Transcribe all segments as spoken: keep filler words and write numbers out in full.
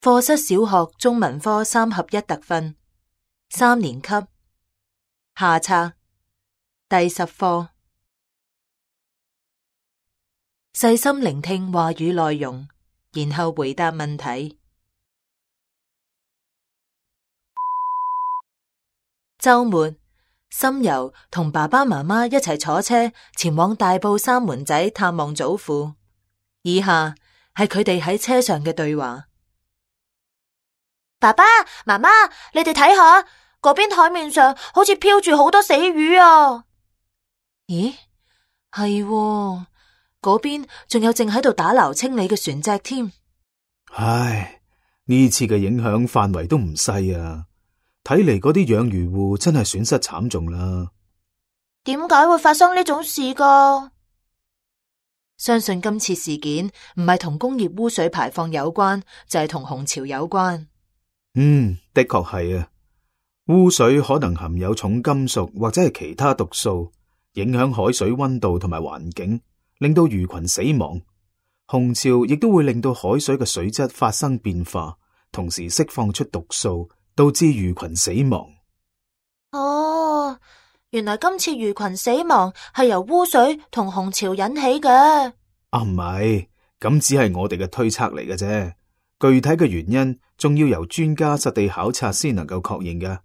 課室小學中文科三合一特訓，三年級下冊第十課。細心聆聽話語內容，然後回答問題。週末，心柔同爸爸媽媽一齊坐車前往大埔三門仔探望祖父。以下係佢哋喺車上嘅對話。爸爸媽媽，你哋睇下嗰邊海面上好似飄住好多死魚啊！咦，係喎，嗰邊仲有正喺度打撈清理嘅船隻添。唉，呢次嘅影響範圍都唔細啊！睇嚟嗰啲養魚戶真係損失慘重啦。點解會發生呢種事噶？相信今次事件唔係同工業污水排放有關，就係同紅潮有關。嗯，的確係啊。污水可能含有重金屬或者係其他毒素，影響海水溫度同埋環境，令到魚群死亡。紅潮亦都會令到海水嘅水質發生變化，同時釋放出毒素，導致魚群死亡。哦，原來今次魚群死亡係由污水同紅潮引起嘅。啊，唔係，咁只係我哋嘅推測嚟嘅啫。具體嘅原因仲要由專家實地考察先能夠確認嘅。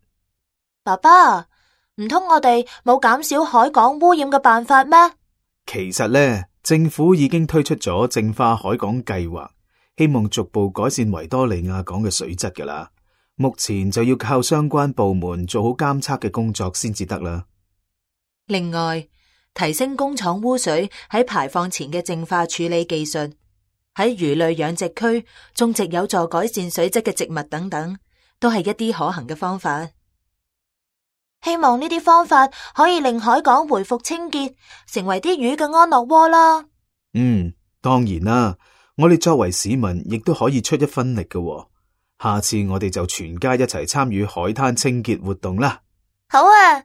爸爸，唔通我哋冇減少海港污染嘅辦法咩？其實呢，政府已經推出咗淨化海港計劃，希望逐步改善維多利亞港嘅水質噶啦。目前就要靠相關部門做好監測嘅工作先至得啦。另外，提升工廠污水喺排放前嘅淨化處理技術，喺魚類養殖區種植有助改善水質嘅植物等等，都係一啲可行嘅方法。希望呢啲方法可以令海港回復清潔，成為啲魚嘅安樂窩啦。嗯，當然啦，我哋作為市民亦都可以出一分力嘅。下次我哋就全家一齊參與海灘清潔活動啦。好啊！